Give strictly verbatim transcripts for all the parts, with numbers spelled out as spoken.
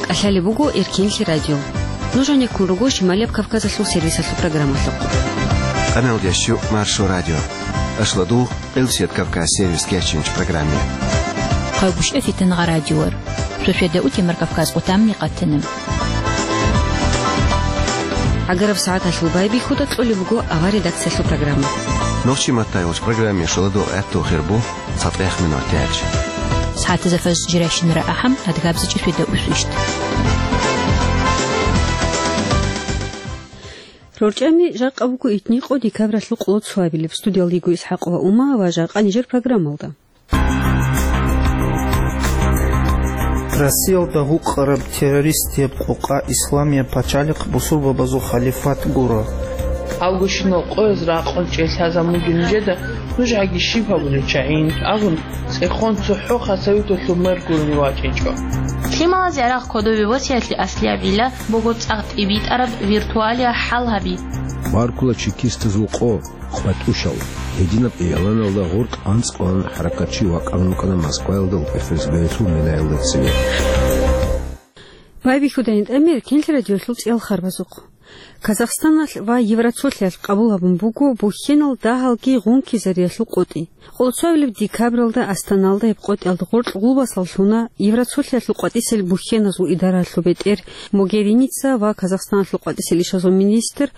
ТӀалъалеб буго Эркенлъи радио. Нуж гьанеккун руго Шималияб Кавказалъул сервисалъул программалъухъ. Къаналдиясчу Маршо радио. Ашладугъ Элсият Кавказ сервис кечинч программе. Хъайбушев Фитангъа радиор. Сосведа утемар Кавказ къутамни къатана. ГӀагараб сагӀаталъул байбихьуда кьолеб буго авар редакциялъул программа. Нохчи маттайулч программе шоладугъ гӀатту хирбу. ЦатӀех минут тяч. СагӀатазда фаз жиращинара ахӀам, адгабзичӀи светда усвищт. РорчӀами жакъа буго итни къо декабралъул къоло цоабилеб. Студиялда йиго ИсхӀакъ ва Ума ва жакъа нижер программалда. Россиялда гьукъараб террористияб къокъа Исламияб пачалихъ бусурбабазул халифат гуро. Авгущинал къояз ракъун чӀей лъазабун бугин нижеда, нуж гьаги щиб гьабулел чагӀин абун, цӀехон цохӀо хасавиталъул мер гурони вачӀинчӀо. Лъималазе гӀарахъ кодове васиялъе аслияб гӀилла буго цӀакъ тӀибитӀараб виртуалия хӀал гьаби. Баркула чекистазул къо, къватӀушал, гьединаб игӀланалда гъоркь анцӀкъван хӀаракатчи вакъан вукӀана Москваялда ФСБ-ялъул минаялда цеве. Байбихьуда гьитӀамир Эркенлъи радиолъул цӀиял харбазухъ. Казахстаналъ ва Евроцолъиялъ къабул гьабун буго бухьенал дагьалги гъункизариялъул къотӀи. Къоло цоабилеб декабралда Астаналда гьеб къотӀиялда гъоркь гъулбасал лъуна Евроцолъиялъул къватӀисел бухьеназул идаралъул бетӀер Могериница ва Казахстаналъул къватӀисел ишазул министр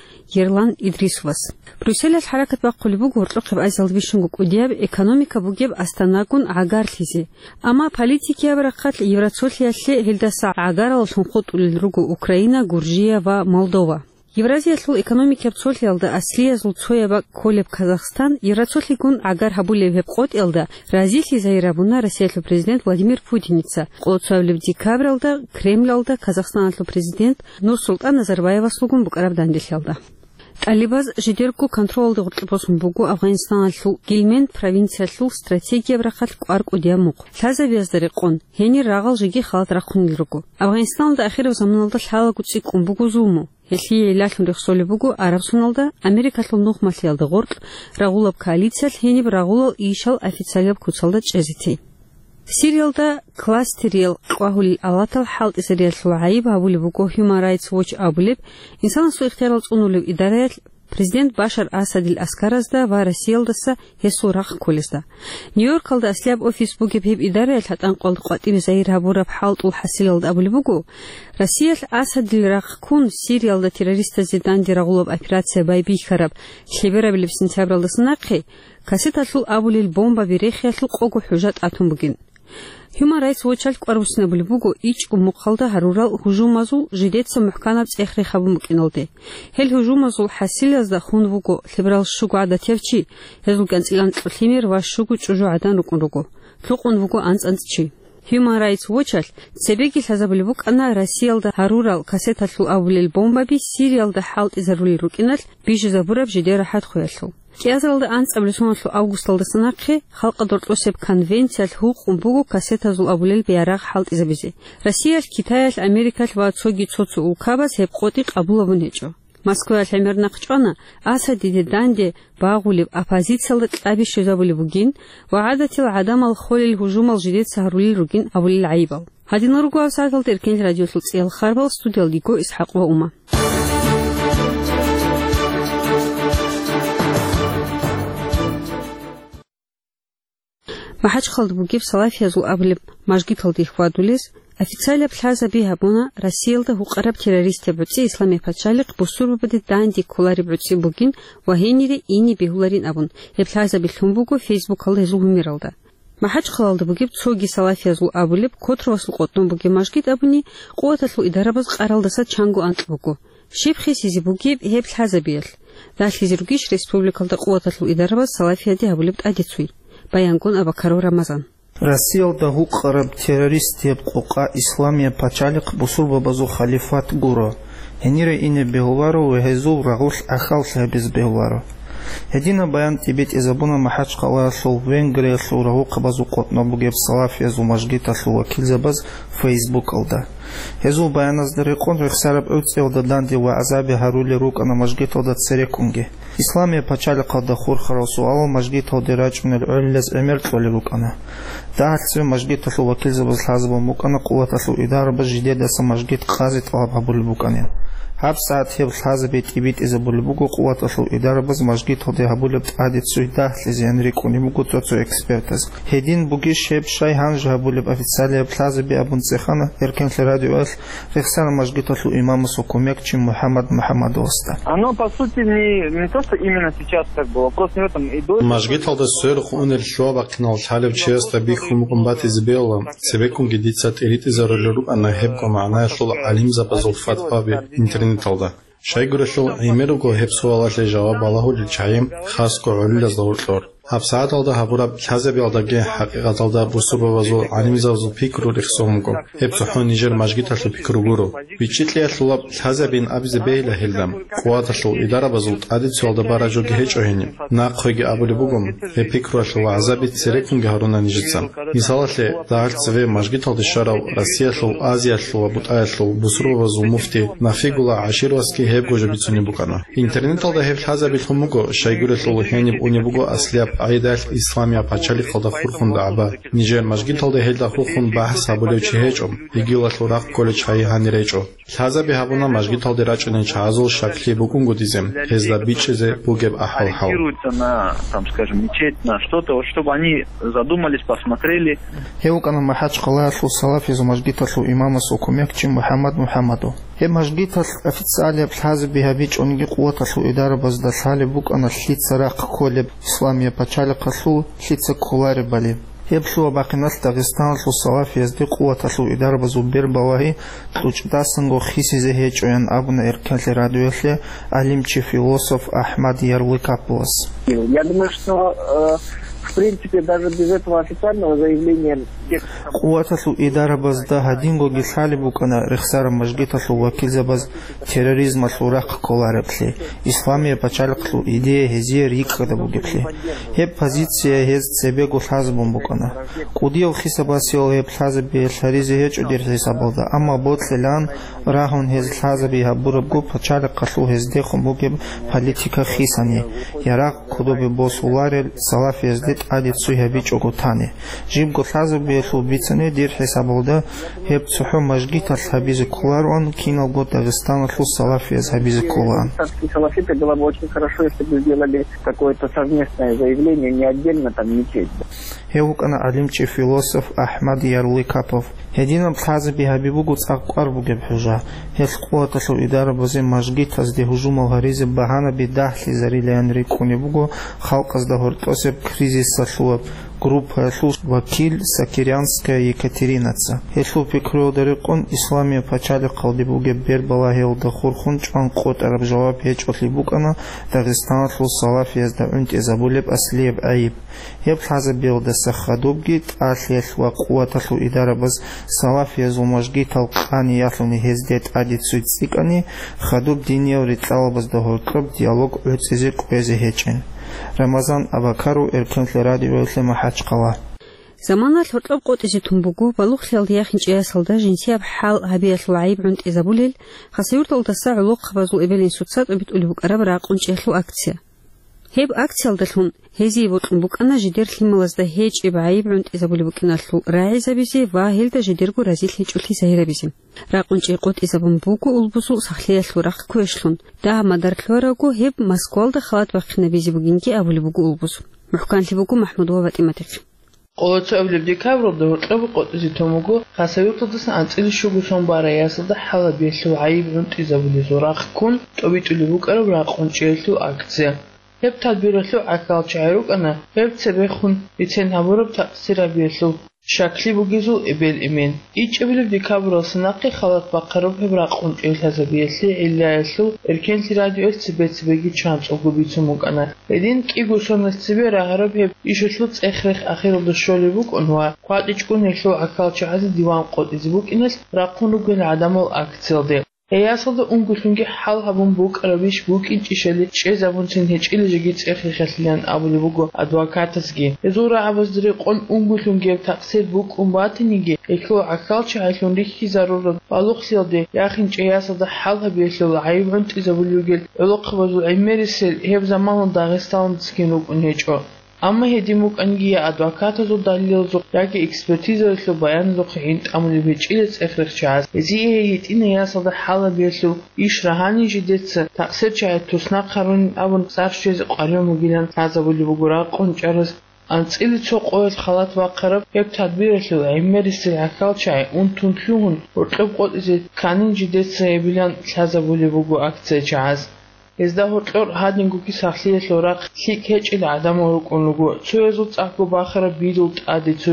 Ерлан Идрисовас. Брюсселалъ хӀаракат бахъулеб буго гьоркьохъеб Азиялда бищунго кӀудияб экономика бугеб Астанагун гӀагарлъизе. Амма политикияб рахъалъ Евроцолъиялъе гьелдаса гӀагаралалъун хутӀулел руго Украина, Гуржия ва Молдова. Евразиялъул экономикияб цолъиялда аслиязул цояб бакӀ кколеб Казахстан Евроцолъигун гӀагар гьабулеб гьеб къотӀиялда разилъизайи рабуна Россиялъул президент Владимир Путиница къоло цоабилеб декабралда Кремлалда Казахстаналъул президент Нурсултан Назарбаевасулгун букӀараб данделъиялда. ТӀалибаз жидерго контролалда гъоркье босун буго Афганистаналъул Гильменд провинциялъул стратегияб рахъалъ кӀвар кӀудияб мухъ. Лъазабиязда рекъон, гьенир рагъал жеги халат рахъунел руго. Афганистаналда ахираб заманалда лъалаго цӀикӀкӀун буго зулму. Гьелъие гӀиллалъун рехсолеб буго Арабсоналда Америкалъул нухмалъиялда гъоркь рагъулаб коалициялъ гьениб рагъулал ишал официалияб куцалда чӀезе тей. Сириялда кластериял къвагьулел алатал хӀалтӀизариялъул гӀайиб гьабулеб буго Human Rights Watch абулеб, инсанасул ихтиярал цӀунулев идараялъ президент Башар Асадил аскаразда ва Россиялдаса гьесул рахъ кколезда. Нью-Йоркалда аслияб офис бугеб гьеб идараялъ гьатӀанкъуялда къватӀибе загьир гьабураб хӀалтӀул хӀасилалда абулеб буго, Россиялъ Асадил рахъ ккун Сириялда террористазде данде рагъулаб операция байбихьараб лъеберабилеб сентябралдаса нахъе кассеталъул абулел бомбаби рехиялъул къого хӀужа тӀатун бугин. Human Rights Watch-алъ кӀвар буссинабулеб буго ичӀго мухъалда гьарурал гьужумазул жидеца мухӀканаб цӀех рехабун букӀиналде. Гьел гьужумазул хӀасилазда хун вуго лъеберал щуго гӀадатияв чи, гьезул кӀанцӀил анкьго лъимер ва щуго чӀужу гӀадан рукӀун руго. Лъукъун вуго анцӀ-анцӀ чи. Human Rights Watch-алъ цебеги лъазабулеб букӀана Россиялда гьарурал кассеталъул абулел бомбаби Сириялда хӀалтӀизарулел рукӀиналъ бижизабураб жидер рахӀатхъуялъул. КӀиазаралда анцӀабилеб соналъул августалдаса нахъе Халкъалда гьоркьосеб конвенциялъ гьукъун буго кассетазул абулел бегӀарагъ хӀалтӀизабизе. Россиялъ, Китаялъ, Америкалъ ва цоги цо-цо улкабаз гьеб къотӀи къабулабун гьечӀо. Москваялъ гӀемер нахъ чӀвана Асадиде данде багъулеб оппозициялда кьаби щвезабулеб бугин ва гӀадатил гӀадамал холел гьужумал жидеца гьарулел ругин абулел гӀайибал. Гьадинал руго гьаб сагӀаталда Эркенлъи радиолъул цӀиял харбал, студиялда йиго ИсхӀакъ ва Ума. МахӀачхъалда бугеб салафиязул абулеб мажгиталде хьвадулез официалаб лъазаби гьабуна Россиялда гьукъараб террористаб гӀуцӀи Исламияб пачалихъ бусурбабаде данде кколареб гӀуцӀи бугин ва гьенире ине бегьуларин абун, гьеб лъазаби лъун буго Фейсбукалда гьезул гьумералда. МахӀачхъалалда бугеб цоги салафиязул абулеб Котровасул къотӀун бугеб мажгит абуни, къуваталъул идарабаз къаралдаса чанго анкь буго. Щиб хисизе бугеб гьеб лъазабиялъ? Ралъизе ругищ республикалда къуваталъул идарабаз салафияде гьабулеб тӀадецуй? Баянгун Абакаров Рамазан. Россиялда гьукъараб террористияб къокъа Исламияб пачалихъ бусурбабазул халифат гуро. Гьенире ине бегьуларо ва гьезул рагъулъ ахӀал лъабизе бегьуларо. Гьединаб баян тӀибитӀизабуна МахӀачхъалаялъул Венгриялъул рагьухъабазул къотӀнаб бугеб салафиязул мажгиталъул вакилзабаз Фейсбукалда. Гьезул баяназда рекъон рехсараб гӀуцӀиялда данде вагӀзаби гьарулел рукӀана мажгиталда цереккунги. Исламияб пачалихъалда хурхарал суалал мажгиталде рачӀунел гӀолилаз гӀемер кьолел рукӀана. Дагьалъ цеве мажгиталъул вакилзабаз лъазабун букӀана къуваталъул идарабаз жидедаса мажгит къазе тӀалаб гьабулеб букӀанин. ГьабсагӀат гьеб лъазаби тӀибитӀизабулеб буго къуваталъул идарабаз мажгиталде гьабулеб тӀаде цуй дагьлъизеян рикӀкӀунеб буго цо-цо экспертаз. Гьедин бугищ гьеб щай гьанже гьабулеб официалияб лъазаби абун цӀехана Эркенлъи радиоялъ рехсараб мажгиталъул имамасул кумекчи МухӀаммад МухӀаммадовасда. Оно, по сути, не, не то, что именно сейчас, как бы, вопрос не в этом. И до этого Мажгиталда сверухъ унел лъугьа-бахъинал лъалев чиясда бихьун букӀун батизе бегьула, цебеккунги дица тӀиритӀизарулел рукӀана гьебго магӀнаялъул гӀалимзабазул фатваби интернеталда. Щайгурелъул гӀемер руго гьеб суалалъе жаваб балагьулел чагӀи, хасго гӀолилазда гьоркьор. ГьабсагӀаталда гьабураб лъазабиялдаги хӀакъикъаталда бусурбабазул гӀалимзабазул пикру рехсон буго. Гьеб цохӀо нижер мажгиталъул пикру гуро. БичӀчӀи кьеялъулаб лъазабин абизе бегьила гьелда. Къуваталъул идарабазул тӀадицуялда бараб жоги гьечӀо гьениб. Нахъеги абулеб буго, гьеб пикруялъул вагӀзаби цереккунги гьаруна нижеца. Мисалалъе, дагьалъ цеве мажгиталде щварав Россиялъул, Азиялъул ва БутӀаялъул бусурбабазул муфти Нафигулла ГӀашировасги гьебго жо бицунеб букӀана. Интернеталда гьеб лъазабилъун буго, щайгурелъул гьениб унеб буго аслияб къагӀидалъ исламияб пачалихъалда хурхун дагӀба. Нижер мажгиталда гьелда хурхун бахӀс гьабулев чи гьечӀо, йигилалъул рахъ кколел чагӀи гьанир гьечӀо. Лъазаби гьабуна мажгиталде рачӀунел чагӀазул щаклъи букӀунгутӀизе, гьезда бичӀчӀизе бугеб ахӀвал-хӀал. Ориентируются на, там, скажем, мечеть, на что-то, вот, чтобы они задумались, посмотрели. Гьев вукӀана МахӀачхъалаялъул салафизул мажгиталъул имамасул кумекчи МухӀаммад МухӀаммадов. Гьеб мажгиталъ официалияб лъазаби гьабичӀониги къуваталъул идарабазда лъалеб букӀана лъица рахъ кколеб, исламияб пачалихъалъул лъица кколаребали. Гьеб лъугьа-бахъиналъ Дагъистаналъул салафиязде къуваталъул идарабазул бербалагьи кьучӀдасанго хисизе гьечӀоян абуна Эркенлъи радиоялъе гӀалимчи-философ АхӀмад Ярлыкаповас. Я думаю, что, э, в принципе, даже без этого официального заявления текст Къуваталъул идарабазда гьадингоги лъалеб букӀана рехсараб мажгиталъул вакилзабаз терроризмалъул рахъ кколареблъи, исламияб пачалихъалъул идея гьезие рикӀкӀада бугеблъи. Гьеб позиция гьез цебего лъазабун букӀана. КӀудияв хисабасиял гьеб лъазабиялъ гьаризе гьечӀо дир хӀисабалда, амма бокьилаан рагьун гьез лъазаби гьабурабго пачалихъалъул гьездехун бугеб политика хисани, ярагъ кодобе босуларел салафиязде тӀаде цуй гьабичӀого тани. Жибго лъазабиялъул бицани дир хӀисабалда гьеб цохӀо мажгиталъ гьабизе кколароан, киналго Дагъистаналъул салафияз гьабизе кколаан. Татарские салафиты, было бы очень хорошо, если бы сделали какое-то совместное заявление, не отдельно там мечеть. Гьев вукӀана гӀалимчи-философ АхӀмад Ярлыкапов. Гьединаб лъазаби гьаби буго цӀакъ кӀвар бугеб хӀужа. Гьелъ къуваталъул идарабазе мажгитазде гьужумал гьаризе багьанаби дагьлъизарилаян рикӀкӀунеб буго халкъазда гьоркьосеб кризисалъулаб группаялъул вакил Сакирянская Екатеринаца. Гьелъул пикруялда рекъон, исламияб пачалихъалде бугеб бербалагьиялда хурхун чӀван къотӀараб жаваб гьечӀолъи букӀана Дагъистаналъул салафиязда гӀунтӀизабулеб аслияб гӀайиб. Гьеб лъазабиялдаса хадубги тӀалъиялъ ва къуваталъул идарабаз салафиязул мажгитал къани ялъуни гьезде тӀаде цуй цӀикӀкӀани, хадуб диниял рикьалабазда гьоркьоб диалог гӀуцӀизе кӀвезе гьечӀин. Рамазан Абакаров, Эркенлъи радиоялъе, МахӀачхъала. Заманалъ гьоркьоб къотӀизе тун буго балугълъиялда яхинчӀей ясалда жинсияб хӀал гьабиялъул гӀайиб гӀунтӀизабулел, Хасавюрталдаса гӀолохъабазул эбел-инсуца тӀобитӀулеб букӀараб ракъун чӀиялъул акция. Гьеб акциялдалъун гьезие бокьун букӀана жидер лъималазда гьечӀеб гӀайиб гӀунтӀизабулеб букӀиналъул рагӀизабизе ва гьелда жидерго разилъичӀолъи загьирабизе. Ракъун чӀей къотӀизабун буго улбузул сахлъиялъул рахъ квешлъун. Дагьаб мадар лъугьарабго гьеб Москвалда халат бахъинабизе бугинги абулеб буго улбуз. МухӀканлъи буго МахӀмуд ва ПатӀиматихъ. Къоло цоабилеб декабралда гьоркьоб къотӀизе тун буго Хасавюрталдасан анцӀила щуго сон барай ясалда хӀал гьабиялъул гӀайиб гӀунтӀизабулезул рахъ ккун тӀобитӀулеб букӀараб ракъун чӀиялъул акция. Гьеб тадбиралъул гӀахьалчагӀи рукӀана гьеб цебехун бицен гьабураб такъсир гьабиялъул щаклъи бугезул эбел-эмен. ИчӀабилеб декабралдаса нахъе халат бахъараб гьеб ракъун чӀей лъазабиялъе гӀиллаялъул Эркенлъи радиоялъ цебе-цебеги чанцӀулго бицун букӀана. Гьедин кӀиго соналъ цебе рагьараб гьеб ишалъул цӀех-рех ахиралда щолеб букӀун ва кватӀичӀгун гьелъул гӀахьалчагӀазе диван къотӀизе букӀиналъ рахъун ругел гӀадамал акциялде. Гьей ясалда унгулъунги хӀал гьабун букӀарабищ букӀинчӀищали чӀезабунцин гьечӀила жеги цӀех-рехалъилан абулеб буго адвокатасги. Гьезул рагӀабазда рекъон унгулъунги гьеб такъсир букӀун батаниги, гьелъул гӀахьалчагӀилъун рихьизарураб балугълъиялде яхинчӀей ясалда хӀал гьабиялъул гӀайиб гӀунтӀизабулев вугел гӀолохъабазул гӀемерисел гьеб заманалда Дагъистаналдасагин рукӀун гьечӀо. Амма гьедин букӀанги, я адвокатазул далилалъухъ, яги экспертизаялъул баяналъухъ гӀин тӀамулеб гьечӀила цӀех-рехчагӀаз, гьезие гьей гьитӀинай ясалда хӀал гьабиялъул иш рагьанин жидеца такъсирчагӀи туснахъ гьарунин абун цӀар щвезе къваригӀун бугилан лъазабулеб буго ракъун чӀараз. АнцӀила цо къоялъ халат бахъараб гьеб тадбиралъул гӀемерисел гӀахьалчагӀи унтун лъугьун, гьоркьоб къотӀизе кканин жидеца гьебилан лъазабулеб буго акция чагӀаз. Гьезда гьоркьор гьадингоги сахлъиялъул рахъ лъикӀ гьечӀел гӀадамал рукӀун руго, цоязул цӀакъго бахараб бирул тӀаде цо,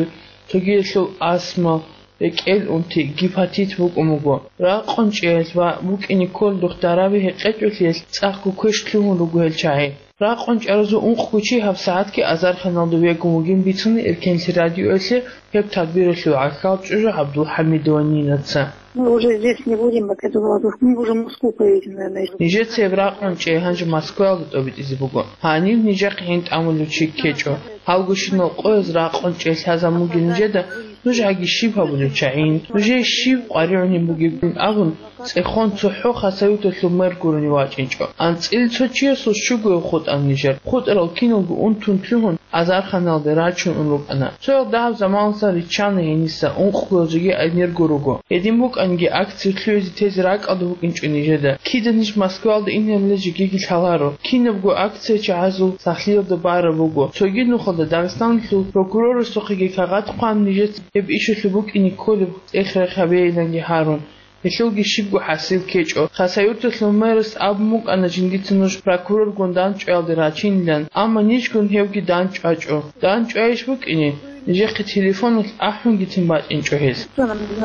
цогиялъул астма, рекӀел унти, гепатит букӀун буго. Ракъун чӀеялъ ва букӀине кколдухъ дараби гьекъечӀолъиялъ цӀакъго квеш лъугьун руго гьел чагӀи. Ракъун чӀаразул ункъго чи гьабсагӀатги азарханалда вегун вугин бицуна Эркенлъи радиоялъе гьеб тадбиралъул гӀахьал чӀужу ГӀабдулхӀамидова Нинаца. Мы уже здесь не будем, пока эту молодежь. Мы уже в Москву поедем, наверное, ещё. Нижеца гьеб ракъун чӀей гьанже Москваялда тӀобитӀизе буго. Гьанив нижехъе гӀин тӀамулев чи ккечӀо. Гьалгощинал къояз ракъун чӀей лъазабун бугел нижеда нуж гьаги щиб гьабулев чагӀийин, нужее щиб къваригӀунеб бугебин абун, цӀехон цохӀо Хасавюрталъул мэр гурони вачӀинчӀо. АнцӀила цо чиясул щугояв хутӀана нижер. ХутӀарал киналго унтун лъугьун, азарханалде рачун ун рукӀана. Цоял дагьаб заманалдасан риччана гьениса, ункъго жеги энерго руго. Гьедин букӀанги, акция лъугӀизе тезе ракӀалда букӀинчӀо нижеда. Кида ниж Москваялда инарила жегиги лъаларо. Кинабго акция чагӀазул сахлъиялда бараб буго. Цоги нухалда Дагъистаналъул прокурорасухъеги кагъат хъван, нижеца гьеб ишалъул букӀине кколеб цӀех-рех гьабейиланги гьарун. Гьелъулги щибго хӀасил ккечӀо. Хасавюрталъул мэрас абун букӀана жиндица нуж прокуроргун дандчӀваялде рачинилан, амма нижгун гьевги дандчӀвачӀо. ДандчӀвайищ букӀине, нижехъе телефоналъ ахӀунгицин бачӀинчӀо гьез.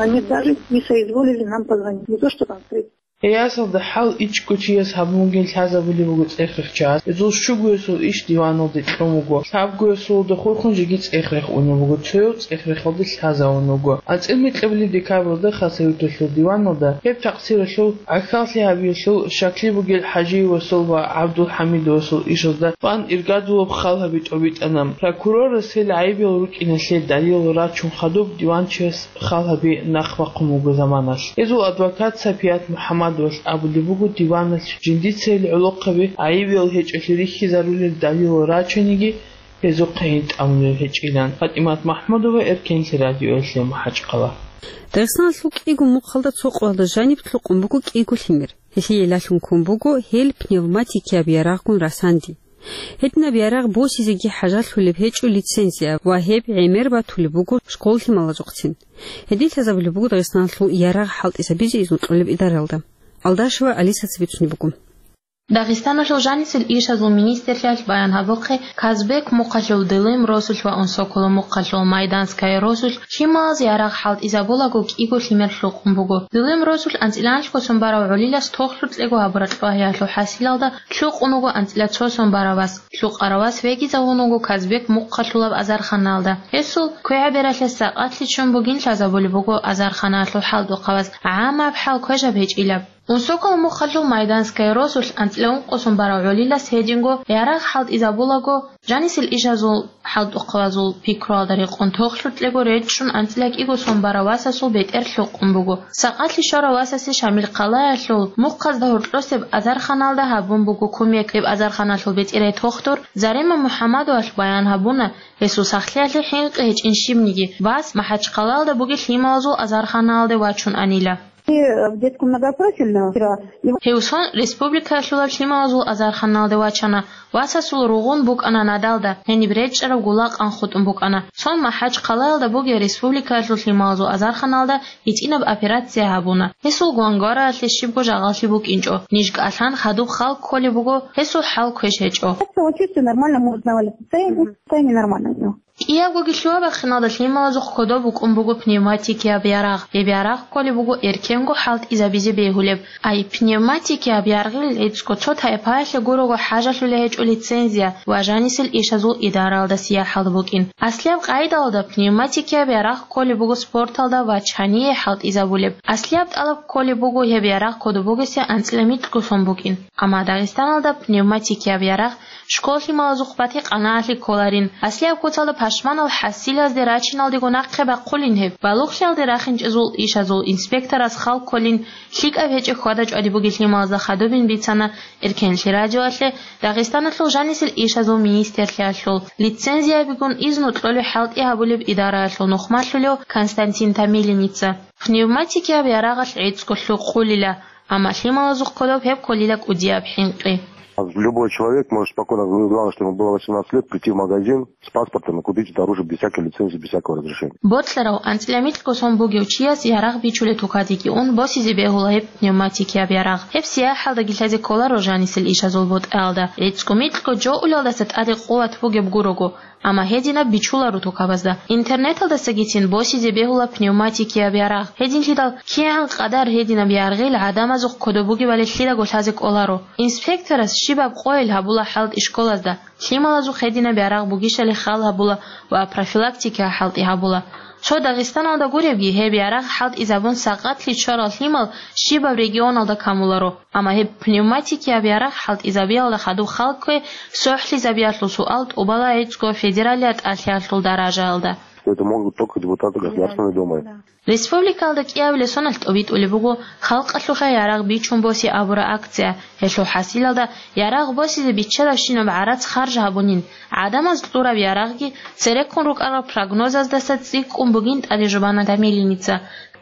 Они даже не соизволили нам позвонить. Не то, что там встретиться. Гьей ясалда хӀал ичӀго чияс гьабун бугин лъазабулеб буго цӀех-рехчагӀаз. Гьезул щугоясул иш диваналде кьун буго. Лъабгоясулда хурхун жеги цӀех-рех унеб буго, цояв цӀех-рехалде лъазавун вуго. АнцӀила микьабилеб декабралда Хасавюрталъул диваналда гьеб такъсиралъул гӀахьаллъи гьабиялъул щаклъи бугел ХӀажиевасул ва ГӀабдулхӀамидовасул ишазда тӀван иргадулаб хал гьаби тӀобитӀана. Прокурорас гьел гӀайибиял рукӀиналъе далилал рачун хадуб диванчияс хал гьаби нахъ бахъун буго заманалъ. Гьезул адвокат Сапият МухӀаммадовалъ абулеб буго диваналъ жиндица гьел гӀолохъаби гӀайибиял гьечӀолъи рихьизарулел далилал рачаниги, гьезухъе гӀин тӀамулел гьечӀилан. ПатӀимат МахӀмудова, Эркенлъи радиоялъе, МахӀачхъала. Дагъистаналъул кӀиго мухъалда цо къоялда жаниб лъукъун буго кӀиго лъимер. Гьелъие лъалъун ккун буго гьел пневматикияб ярагъгун расанди. Гьединаб ярагъ босизеги хӀажалъулеб гьечӀо лицензия ва гьеб гӀемер батулеб буго школ лъималазухъцин. Гьедин лъазабулеб буго Дагъистаналъул ярагъ хӀалтӀизабизе изну кьолеб идаралда. Алдашева Алисаца бицунеб буго. Дагъистаналъул жанисел ишазул министрлъиялъ баян гьабухъе, Казбек мухъалъул Дылим росулъ ва Унсоколо мухъалъул Майданская росулъ лъималаз ярагъ хӀалтӀизабулаго кӀиго лъимер лъукъун буго. Дылим росулъ анцӀила анлъго сон барав гӀолилас тохлъукьего гьабураб кьвагьиялъул хӀасилалда лъукъун вуго анцӀила цо сон барав вас. Лъукъарав вас вегизавун вуго Казбек мухъалъулаб азарханалда. Гьесул квегӀабералъе сакъатлъи ччун бугин лъазабулеб буго азарханалъул хӀалтӀухъабаз, гӀаммаб хӀал квешаб гьечӀилаб. Унсоколо мухъалъул Майданская росулъ анцӀила ункъо сон барав гӀолилас гьединго ярагъ хӀалтӀизабулаго, жанисел ишазул хӀалтӀухъабазул пикруялда рекъон тохлъукьего речӀчӀун анцӀила кӀиго сон барав васасул бетӀер лъукъун буго. Сакъатлъи щварав васасе Шамил хъалаялъул мухъазда гьоркьосеб азарханалда гьабун буго кумек. Гьеб азарханалъул бетӀерай тохтур Зарема МухӀаммадовалъ баян гьабуна, гьесул сахлъиялъе хӀинкъи гьечӀин щибниги, вас МахӀачхъалаялда бугеб лъималазул азарханалде вачун анила. И в детском многопрофильном вчера. И Гьев сон республикаялъулаб лъималазул азарханалде вачана, васасул ругъун букӀана надалда, гьениб речӀчӀараб гула къан хутӀун букӀана. Сон МахӀачхъалаялда бугеб республикаялъул лъималазул азарханалда гьитӀинаб операция гьабуна. Гьесул гвангвараялъе щибго жагъаллъи букӀинчӀо. Ниж кӀалъан хадуб хал кколеб буго, гьесул хӀал квеш гьечӀо. Как-то он чувствует нормально, может, навалится. Состояние, состояние нормальное у него. КӀиябгоги лъугьа-бахъиналда лъималазухъ кодоб букӀун буго пневматикияб ярагъ. Гьеб ярагъ кколеб буго эркен хӀалтӀизабизе бегьулеб. Ай, пневматикияб яргъил гӀицӀго цо тайпаялъе гурого хӀажалъулей гьечӀо лицензия ва жанисел ишазул идараялда сияхӀалда букӀин. Аслияб къайдалда пневматикияб ярагъ кколеб буго спорталда ва чание хӀалтӀизабулеб. Аслияб тӀалаб кколеб буго гьеб ярагъ кодоб бугесе анцӀила микьго сон букӀин. Амма Дагъистаналда пневматикияб ярагъ школ-лъималазухъ батикъанаалъе кколарин. Аслияб куцалда пашманал хӀасилазде рачиналдего нахъе бахъулин гьеб. Балугълъиялде рахинчӀезул ишазул инспекторас хал кколин лъикӀаб гьечӀеб хьвада-чӀвади бугеб лъималазда хадубин бицана Эркенлъи радиоялъе Дагъистаналъул жанисел ишазул министрлъиялъул лицензиябигун изну кьолеб хӀалтӀи гьабулеб идараялъул нухмалъулев Константин Томилиница. Пневматикияб ярагъалъ гӀицӀго лъукъулила, амма лъималазухъ кодоб гьеб кколила кӀудияб хӀинкъи. Любой человек может спокойно, главное, чтобы ему было восемнадцать лет, прийти в магазин с паспортом и купить это оружие без всякой лицензии, без всякого разрешения. Бокьарав анцӀила микьго сон бугев чияс ярагъ бичулеб тукадеги ун босизе бегьула гьеб пневматикияб ярагъ. Гьеб сияхӀалдаги лъазе кколаро жанисел ишазул бутӀаялда. ГӀицӀго микьго жо улелдаса тӀаде къуват бугеб гурого. Амма гьединаб бичуларо тукабазда. Интернеталдасагицин босизе бегьула пневматикияб ярагъ. Гьединлъидал кигӀан къадар гьединаб яргъил гӀадамазухъ кодоб бугебали лъидаго лъазе кӀоларо. Инспекторас щибаб къойил гьабула хӀалтӀи школазда, лъималазухъ гьединаб ярагъ бугищали хал гьабула ва профилактика хӀалтӀи гьабула. Цо Дагъистаналда гуребги, гьеб ярагъ хӀалтӀизабун сагъатлъи ччарал лъимал щибаб регионалда камуларо. Амма гьеб пневматикияб ярагъ хӀалтӀизабиялда хадуб хал кквей сохӀлъизабиялъул суал тӀубала гӀицӀго федералияб тӀалъиялъул даражаялда. Это могут только депутаты Государственной Думы. Республикалда кӀиабилеб соналъ тӀобитӀулеб буго халкъалъухъе ярагъ бичун босе абураб акция. Гьелъул хӀасилалда ярагъ босизе биччалабщинаб гӀарац харж гьабунин, гӀадамаз кьураб ярагъги цереккун рукӀарал прогнозаздаса цӀикӀкӀун бугин тӀаде жубана Томилиница.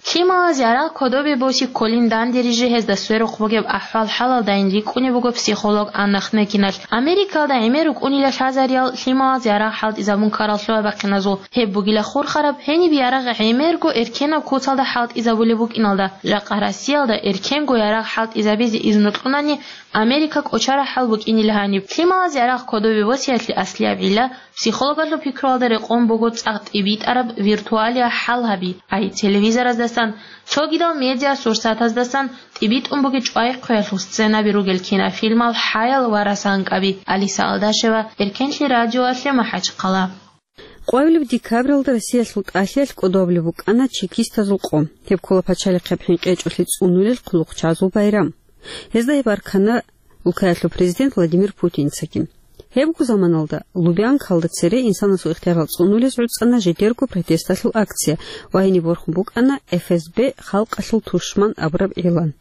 Лъималаз ярагъ кодобе боси кколин данде рижи гьезда сверухъ бугеб ахӀвал-хӀалалдайин рикӀкӀунеб буго психолог Анна Хнекиналъ. Америкалда гӀемер рукӀунила лъазариял лъималаз ярагъ хӀалтӀизабун ккарал лъугьа-бахъиназул. Гьеб бугила хурхараб, гьениб ярагъ гӀемерго эркенаб куцалда хӀалтӀизабулеб букӀиналда. Жакъа Россиялда эркенго ярагъ хӀалтӀизабизе изну кьунани, Америка кӀочарахӀал букӀинила гьаниб. Лъималаз ярагъ кодобе босиялъе аслияб гӀилла психологалъул пикруялда рекъон буго цӀакъ тӀибитӀараб виртуалияб хӀал гьаби, ай телевизораздасан, цогидал медиасурсатаздасан тӀибитӀун бугеб чӀвай-хъвеялъул сценаби ругел кинофильмал хӀаял ва расанкъаби. Алиса Алдашева, Эркенлъи радиоялъе, МахӀачхъала. Къоабилеб декабралда Россиялъул тӀалъиялъ кӀодобулеб букӀана чекистазул къо. Гьеб ккола пачалихъеб хӀинкъичӀолъи цӀунулел хъулухъчазул байрам. Гьезда гьеб аркана улкаялъул президент Владимир Путинцаги. Гьебго заманалда Лубянкалда цере инсанасул ихтиярал цӀунулез гӀуцӀана жидерго протесталъул акция ва гьениб борхун букӀана Ф С Б халкъалъул тушман абураб игълан.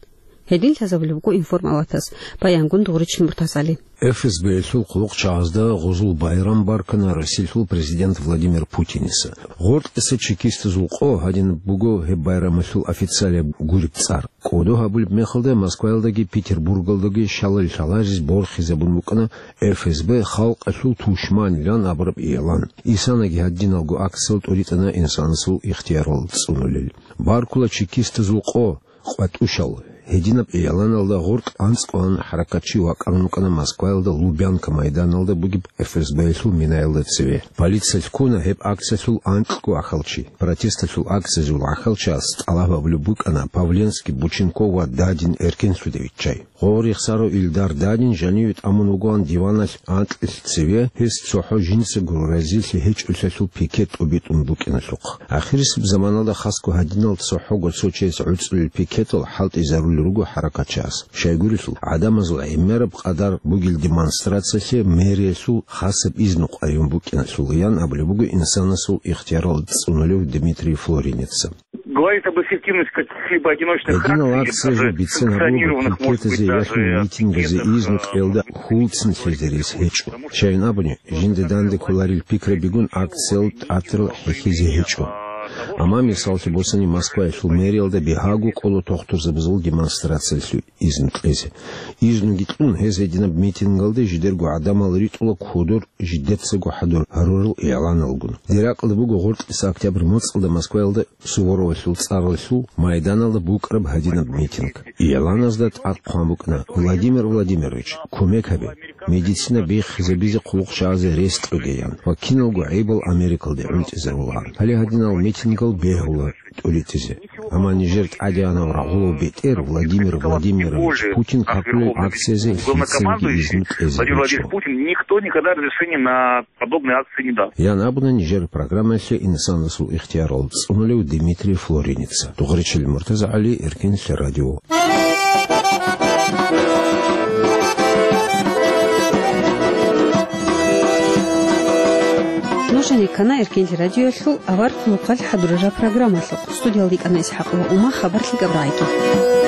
Гьедин лъазабулеб буго информалатас. Баянгун Дугъричин Муртазали. Ф С Б-ялъул хъулухъчагӀазда гъузул байрам баркана Россиялъул президент Владимир Путиница. Гъоркьиса чекистазул къо гьадинаб буго гьеб байрамалъул официалияб гуреб цӀар. КӀодо гьабулеб мехалда Москваялдаги Петербургалдаги шалал лъаларез борхизабун букӀана Ф С Б халкъалъул тушманилан абураб игълан. Исанаги гьадиналго акциял тӀуритӀана инсанасул ихтиярал цӀунулел. Баркула чекистазул къо, къватӀушал. Гьединаб игъланалда гъоркь анцӀ кьван хӀаракатчи вакӀарун вукӀана Москваялда Лубянка майданалда бугеб Ф С Б-ялъул минаялда цеве. Полиция лъугьуна гьеб акциялъул анкьго ахӀалчи. Протесталъул акциязул ахӀалчияс тӀалаб гьабулеб букӀана Павленский, Бученков ва Дадин эркенлъуде виччай. Гъо рехсарав Илдар Дадин жаниве тӀамун вугоан диваналъ анкьилъ цеве, гьес цохӀо жинцаго разилъи гьечӀолъиялъул пикет тӀубитӀун букӀиналъухъ. Ахирисеб заманалда хасго гьадинал цохӀого цо чияс гӀуцӀулел пикетал хӀалтӀизарулел руго хӀаракатчияс. Щайгурелъул, гӀадамазул гӀемераб къадар бугел демонстрациялъе мэриялъул хасаб изну къваригӀун букӀиналъул ян абулеб буго инсанасул ихтиярал цӀунулев Дмитрий Флоринеца. Говорит об эффективности каких-либо одиночных акций или даже санкционированных, может быть, даже, э, пикетов. Гьединал акциялъул бицен гьабур, пикетазе яхун митингазе изну кьелда хьулцин лъезе рес гьечӀо. Щайин абуни, жинда данде кколарел пикрабигун акциял тӀатарал хӀехьизе гьечӀо. Амма, мисаллъи босани, Москваялъул мэриялда бигьаго кӀола тохтурзабазул демонстрациялъе изну кьезе. Изнуги кьун, гьез гьединаб митингалде жидерго гӀадамал ритӀула кодор жидецаго хӀадур гьарурал игъланалгун. Дир ракьалда буго гъоркьиса октябрь моцӀалда Москваялда Суворовалъул цӀаралъул майданалда букӀараб гьадинаб митинг. Игъланазда тӀад хъван букӀана: «Владимир Владимирович, кумек гьабе. Медицина биххизабизе хъулухъчагӀазе рес кьоге», — ян ва киналго гӀайибал Америкалде гӀунтӀизарулаан. Гьале гьадинал митингал бегьула тӀуритӀизе. Амма нижер тӀадегӀанав рагъулав бетӀер Владимир Владимирович Путин капулел акциязе лъицаниги изну кьезе гьечӀо. Никто никогда разрешения на подобные акции не дал. Ян абуна нижер программаялъе инсанасул ихтиярал цӀунулев Дмитрий Флоринеца. Дугъричил МуртазагӀали, Эркин лъе радио. Нуж гьанир ккана Эркин лъе радиоялъул авар хъулухъалъ хӀадурараб программалъухъ. Студиялда йикӀана ИсхӀакъ ва Ума, хабар лъикӀаб рагӀиги.